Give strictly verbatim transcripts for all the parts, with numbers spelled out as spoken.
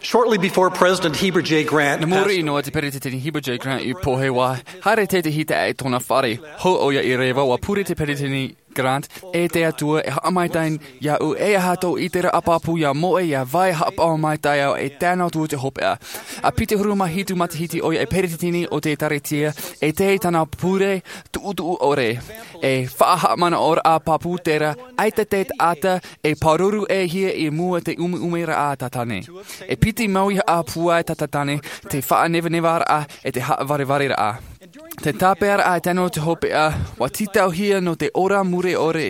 Shortly before President Heber J. Grant Nā muri passed noa te peretiteni Heber J. Grant i pohe, ʻua haere tētahi taeaʻe i tōna fare. Hou ʻoia i reva, ʻua pure te peretiteni Grant, E te Atua, e haʻamaitaʻi iāʻu, e aha tō ʻiteraʻa pāpū ʻia moʻe, ʻia vai haʻapaʻo maitaʻi au, e tae noa atu i te hopeʻa. ʻA piti ʻahuru mā hitu matahiti ʻoia e peretiteni o te ʻēkālesia, e tae i tāna pure tuʻutuʻu ʻore. E faʻahaʻamanaʻoraʻa pāpū terā, ʻaita te taʻata e pāruru e hia i mua i te ʻumeʻumeraʻa a Tātane. E piti mau i haʻapūai tā Tātane, te faʻanevanevaraʻa, e te haʻavarevaraʻa. Te tāpeʻaraʻa e tae noa i te hopeʻa, ʻua tītauhia nō te ora mure ʻore.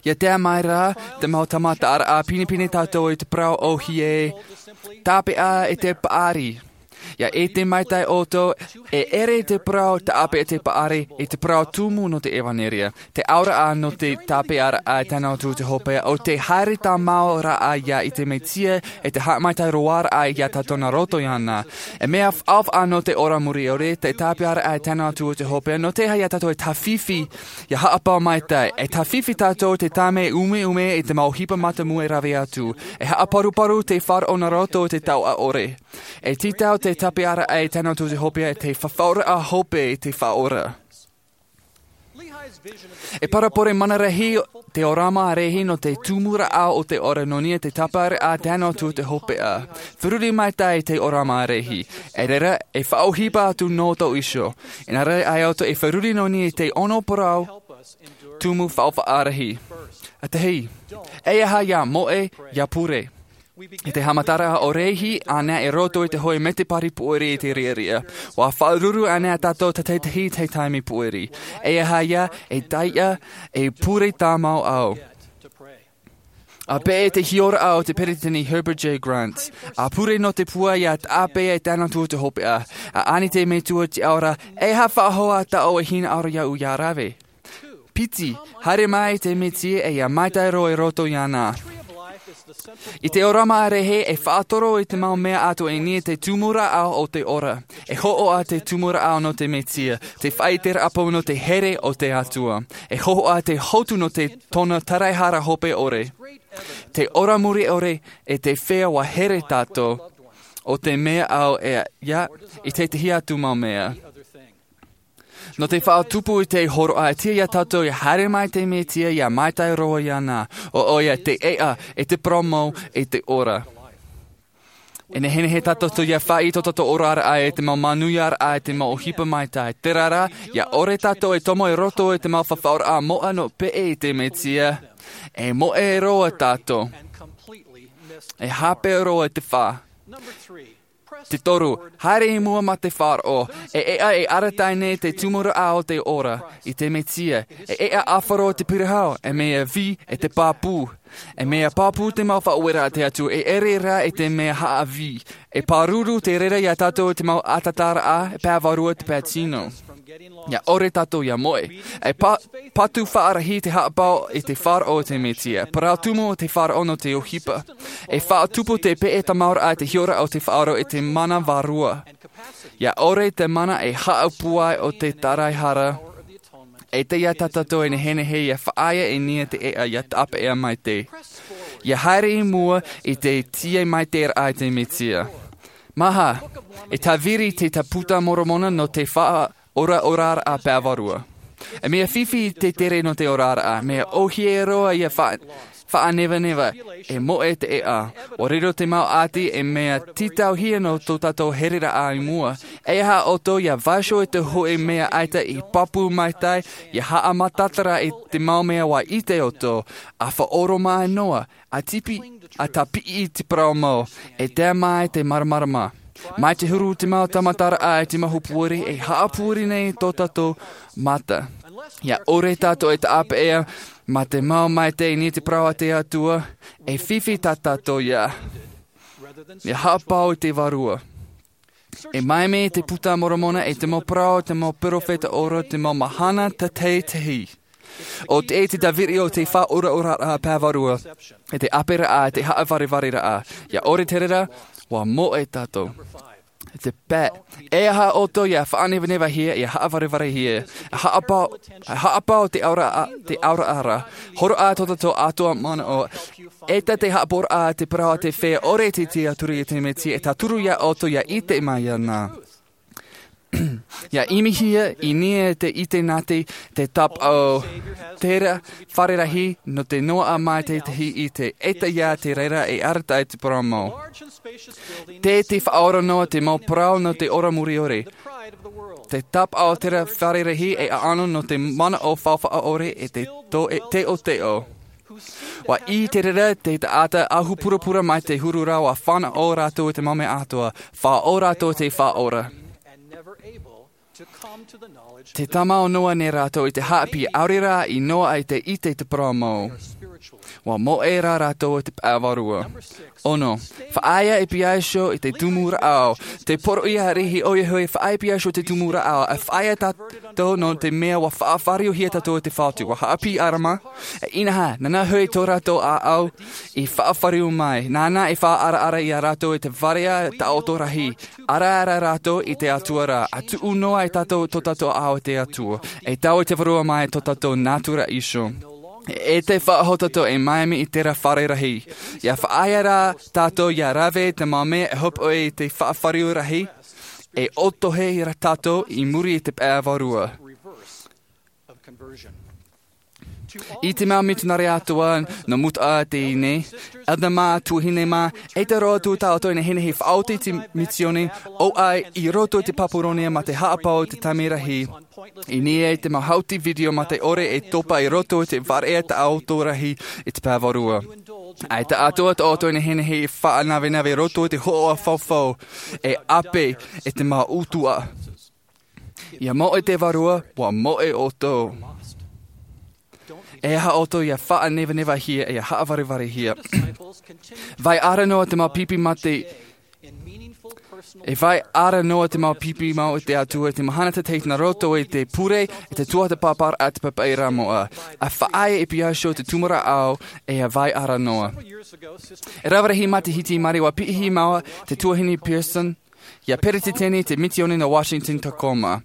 ʻIa tae mai rā te mau tāmataraʻa, pinepine tātou i te parau ʻōhie, tāpeʻa e te paʻari. ʻIa ʻite maitaʻi ʻoutou, e ʻere te parau tāpeʻa e te paʻari, e te parau tumu nō te ʻevanelia. Te auraʻa nō te tāpeʻaraʻa e tae noa atu i te hopeʻa, ʻo te haere tāmau raʻa ia i te Mesia, e te haʻamaitaʻi roaraʻa ia tātou nā roto iāna. E mea ʻaoʻao nō te ora mure ʻore, te tāpeʻaraʻa e tae noa atu i te hopeʻa, nō te aha ia tātou e tāfifi, ʻia haʻapaʻo maitaʻi, e tāfifi tātou i te tāmau ʻumeʻume i te mau ʻohipa mātāmua e rave atu. E haʻaparuparu te faʻaroʻo nā roto i te taoʻa ʻore. E tītau te tāpeʻaraʻa e tae noa atu i te hopeʻa, te fafauraʻa hope i te Faʻaora. E parabole mana rahi te ʻōrama rahi nō te tumu raʻa o te ora nō niʻa i te tāpeʻaraʻa e tae noa atu i te hopeʻa. Fārerei maitaʻi te ʻōrama rahi. E reira, e faʻaʻohipa atu nō tō iho. Inā rā, ʻaita ʻoutou e fārerei nō niʻa i te ono parau tumu faʻaʻohipa rahi. ʻA tahi, e aha ʻia moʻe, ʻia pure. I te haʻamataraʻa ʻo rahi ānei i roto i te hōʻē mētēpari pūʻere i te riʻariʻa. ʻUa faʻaruru ānei tātou tātaʻitahi i te taime pūʻere. E aha ïa, e taiʻa, e pure tāmau au. ʻA peʻe te hiʻoraʻa o te peretiteni Heber J. Grant. ʻA pure nō te pūai ʻia tāpeʻa e tae noa atu i te hopeʻa. ʻA ani te Metua i te ao ra, e aha faʻahou ā tāʻu e hinaʻaro iāʻu ʻia rave. Piti, haere mai te Mesia e ʻia maitaʻi roa i roto iāna. I te ʻōrama rahi e faʻatoro i te mau mea atoʻa i niʻa i te tumu raʻa o te ora. E hōhoʻa te tumu raʻa nō te Mesia, te faʻaʻiteraʻa pāpū nō te here o te Atua. E hōhoʻa te hotu nō te tōna taraehara hope ʻore. Te ora mure ʻore e te feiā ʻua here tātou. ʻO te mea ʻau e ʻia i tētahi atu mau mea. Nō te faʻatupu i te hōroʻa, e tiʻa ia tātou ʻia haere mai te Mesia ʻia maitaʻi roa iāna, ʻo ʻoia te ʻēʻa, e te parau mau, e te ora. E nehenehe tātou ʻia faʻaʻite tō tātou oraraʻa i te mau manuiaraʻa, i te mau ʻohipa maitaʻi. Terā rā, ʻia ʻore tātou e tomo i roto i te mau fafauraʻa moʻa nō peʻe i te Mesia, e moʻe roa tātou. E hape roa i te fā. Te toru, haere i mua mā te faʻaroʻo, e ʻēʻa e arataʻi nei te tumu raʻa o te ora, i te Mesia, e ʻēʻa ʻāfaro i te parahau, e mea vī, e te pāpū. E mea pāpū te mau faʻaueraʻa a te Atua, e ʻere rā i te mea haʻavī. E pāruru te reira ia tātou i te mau ʻatataraʻa, e pae vārua te pae tino. ʻIa ʻore tātou ʻia moʻe. E pā-, patu faʻarahi te haʻapaʻo i te faʻaroʻo o te Mesia. Parau tumu o te faʻaroʻo nō te ʻohipa. E faʻatupu te peʻe tāmau raʻa i te hiʻoraʻa o te faʻaroʻo i te mana vārua. ʻIa ʻore te mana e haʻapūai o te taraehara. E tiʻa ia tātou e nehenehe ʻia faʻaea i niʻa te ʻēʻa ʻia tāpeʻa maitaʻi. ʻIa haere i mua i te tiʻa maitaʻi raʻa i te Mesia. Maha, e tāviri te Puta a Moromona nō te faʻa-, ora, oraraʻa pae vārua. E mea fifi te tere nō te oraraʻa, mea ʻōhie roa ʻia fa-, faʻanevaneva, e moʻe te ʻēʻa. ʻUa riro te mau ʻati e mea tītauhia nō tō tātou hereraʻa i mua. E aha ʻoutou ʻia vaiiho i te hōʻē mea ʻaita i pāpū maitaʻi, ʻia haʻamataʻitaraʻa i te mau mea ʻua ʻite ʻoutou, ʻa faʻaoromaʻi noa, ʻa tipi, ʻa tāpiʻi i te parau mau, e tae mai te māramarama. Mai te huru te mau tāmataraʻa i te mau hōpoi, e haʻapūai nei tō tātou mata. ʻIa ʻore tātou e tāpeʻa, mā te mau maitaʻi i niʻa i te parau a te Atua, e fifi tā tātou ïa. ʻIa haʻapaʻo i te Vārua. E maimai te Puta a Moromona e te mau parau, te mau perofeta ora, te mau mahana tātaʻitahi. ʻO te, te tāviri o te faʻaoraoraraʻa pae vārua, e te ʻāperaʻa, te haʻavarevaraʻa. ʻIa ʻore te reira, ʻua moʻe tātou. Te pae, e aha ʻoutou ia faʻanevanevahia, ia haʻavarevare hia, haʻapau, haʻapau te aura, te aura ara, horoʻa tō tātou atoʻa manaʻo, e tā te haʻaporaʻa te parau a te feiā ʻore te tiaturi i te Mesia, e tauturu ia ʻoutou ia ʻite mai iāna. Ia ʻimihia i niʻa te ʻite nā te, te tāpaʻo, terā fare rahi nō te noaʻa mai tētahi ʻite, e tae ia te reira e arataʻi te parau mau. Tē, tē faʻaora noa te mau parau nō te ora muriore. Te tāpaʻo terā fare rahi e ʻaʻano nō te manaʻo faufaʻa ʻore e te tō, e teʻoteʻo. ʻUa ʻī te reira te taʻata ahu purapura mai te huru ra, ʻua fānaʻo rātou i te mau mea atoʻa, faʻaora rātou te faʻaora. Te tāmau noa nei rātou i te haʻapiʻi, ʻaore rā i noaʻa i te ʻite i te parau mau. ʻUa moʻe rā rātou i te pae vārua. Ono, faʻaea e piha iho i te tumu rāʻau. Te poroʻi ariʻi ʻoia hoʻi, faʻaea e piha iho i te tumu rāʻau. E faʻaea tātou nō te mea ʻua faʻafāriuhia tātou e te Fatu. ʻUa haʻapiʻi ʻĀrama, e inaha, nāna hoʻi tō rātou ʻāʻau i faʻafāriu mai. Nāna e faʻaʻaraʻara ia rātou i te varea taʻoto rahi. Araara rātou i te Atua ra, ʻa tuʻu noa e tātou tō tātou ʻāʻau i te Atua, e taui te Vārua mai tō tātou nātura iho. E te faʻahototo e mea mai i terā fare rahi. Ia faʻaea rā tātou ia rave te mau mea e hopoʻi i te faʻafāriu rahi, e ʻotohe rā tātou i muri i te pae vārua. I te mau mitionare atoʻa nō Mutaʻa teie nei, Elder mā, tuahine mā, ʻaita roa atu tātou e nehenehe e faʻaoti i te misiōni, ʻo ʻai i roto i te Paparonia mā te haʻapau i te taime rahi. I niʻa i te mau hauti video mā te ʻore e topa i roto i te varea taʻoto rahi i te pae vārua. ʻAita atoʻa tātou e nehenehe e faʻanavenave i roto i te hoʻoʻa faufau, e ʻape i te mau ʻutuʻa. Ia moʻe te Vārua, ʻua moʻe ʻoutou. E aha ʻoutou ia faʻanevanevahia, ia haʻavarevare hia. Vai ara noa te mau pipi mā te, e vai ara noa te mau pipi mau i te Atua, te mahana tētahi nā roto i te pure, i te tuatāpaparaʻa, te papaʻiraʻa moʻa. ʻA faʻaea e piha iho te tumu rāʻau, e ʻa vai ara noa. E rave rahi matahiti mai, ʻua piʻihia māua te tuahine Pearson, ia peretiteni te misiōni nō Washington Tacoma.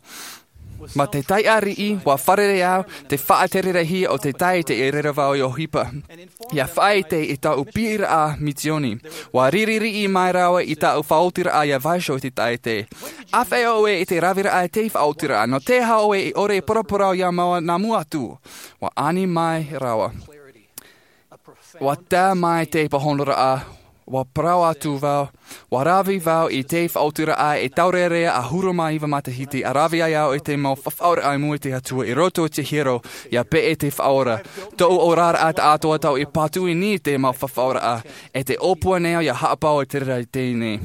Mā te taiʻa riʻi, ʻua fārerei au, te faʻatere rahi o te taʻata i reira vau i ʻohipa. Ia faʻaʻite i tāʻu piʻiraʻa misiōni. ʻUa riri riʻi mai rāua i tāʻu faʻaotiraʻa ia vaiiho i te taʻata. ʻĀfaʻi ʻoe i te raveraʻa i te faʻaotiraʻa, nō te aha ʻoe i ʻore e paraparau ia māua nā mua atu. ʻUa ani mai rāua. ʻUa tae mai te pāhonoraʻa, ʻua parau atu vau, ʻua rave vau i te faʻaotiraʻa e taurearea ʻahuru mā iva matahiti, ʻa rave ai au i te mau fafauraʻa i mua i te Atua i roto i te hiero, ia peʻe te Faʻaora. Tōʻu oraraʻa taʻatoʻa tau i patu i niʻa i te mau fafauraʻa, e te ʻōpua nei au ia haʻapau i te reira i teie nei.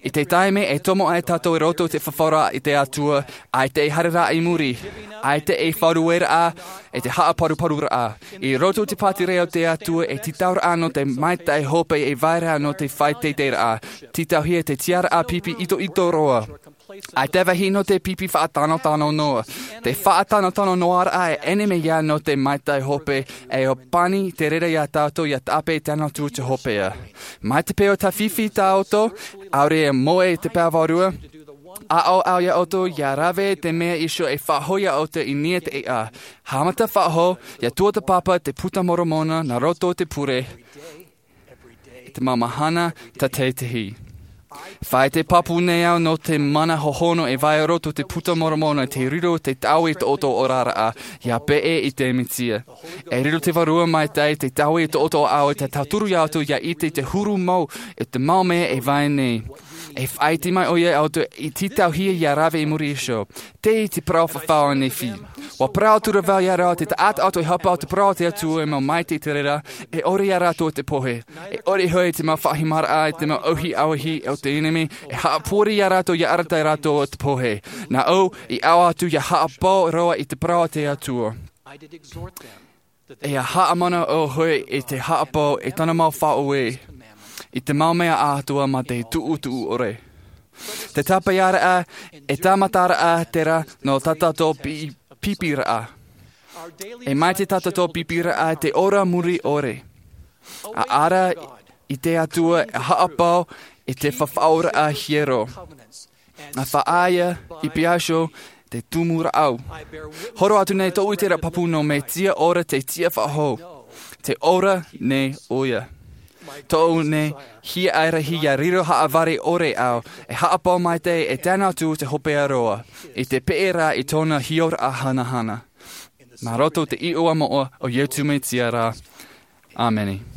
I te taime e tomo ai tātou i roto i te fafauraʻa i te Atua, ʻaita e haereraʻa i muri, ʻaita e faʻarueraʻa, e te haʻaparuparuraʻa. I roto i te pātireia o te Atua, e tītauraʻa nō te maitaʻi hope, e vai ra nō te faʻateiteiraʻa. Tītauhia te tiaraʻa pipi itoito roa. ʻAita e vāhi nō te pipi faʻatanotano noa. Te faʻatanotano noaraʻa e ʻenemi ia nō te maitaʻi hope, e ʻōpani te reira ia tātou ia tāpeʻa tano atu te hopeʻa. Mai te peu tāfifi tātou, ʻaore e moʻe i te pae vārua, ʻaʻau au ia ʻoutou ia rave te mea iho e faʻahoʻi ia ʻoutou i niʻa i te ʻēʻa. Haʻamata faʻahou, ia tuatāpapa te Puta Moromona nā roto i te pure. I te mau mahana tātaʻitahi. Fai te pāpū nei au nō te mana hohonu e vai roto i te Puta Moromona, te riro te taui i tō ʻoutou oraraʻa, ia peʻe i te Mesia. E riro te Vārua Maitaʻi te taui i tō ʻoutou ʻāʻau, e tauturu ia ʻoutou ia ʻite i te huru mau, i te mau mea e vai nei. E faʻaʻite mai ʻoia ia ʻoutou i tītauhia ia rave i muri iho. Tei te parau fafau a Nephi. ʻUa parau atu ra vau ia rātou, te taʻata atoʻa e haʻapau te parau a te Atua e mau maitaʻi i te reira, e ʻore ia rātou te pohe. E ʻore hoʻi te mau faʻahimaraʻa, te mau ʻauhi ʻauahi o te ʻenemi, e haʻapori ia rātou ia arataʻi rātou i te pohe. Nā ʻu i ʻaʻau atu ia haʻapau roa i te parau a te Atua. E ia haʻamanaʻo hoʻi i te haʻapau i tana mau faʻaue, i te mau mea atoʻa mā te tuʻutuʻu ʻore. Te tāpeʻaraʻa, e tāmataraʻa terā nō tā tātou pi-, pipiraʻa. E mai te tā tātou pipiraʻa te ora muri ʻore. ʻA ara i te Atua e haʻapau i te fafauraʻa hiero. A faʻaea i piaso te tumu raʻau. Horo atu nei tōʻu ʻiteraʻa pāpū nō Mesia ora te tiʻa faʻahou. Te ora nei ʻoia. Tōʻu nei hiaʻai rahi ia riro haʻavare ʻore au, e haʻapaʻo maitaʻi e tae noa atu te hopeʻa roa, i te peʻe ra i tōna hiʻoraʻa hanahana. Nā roto te iʻoa moʻa o Iesu Mesia ra. ʻĀmene.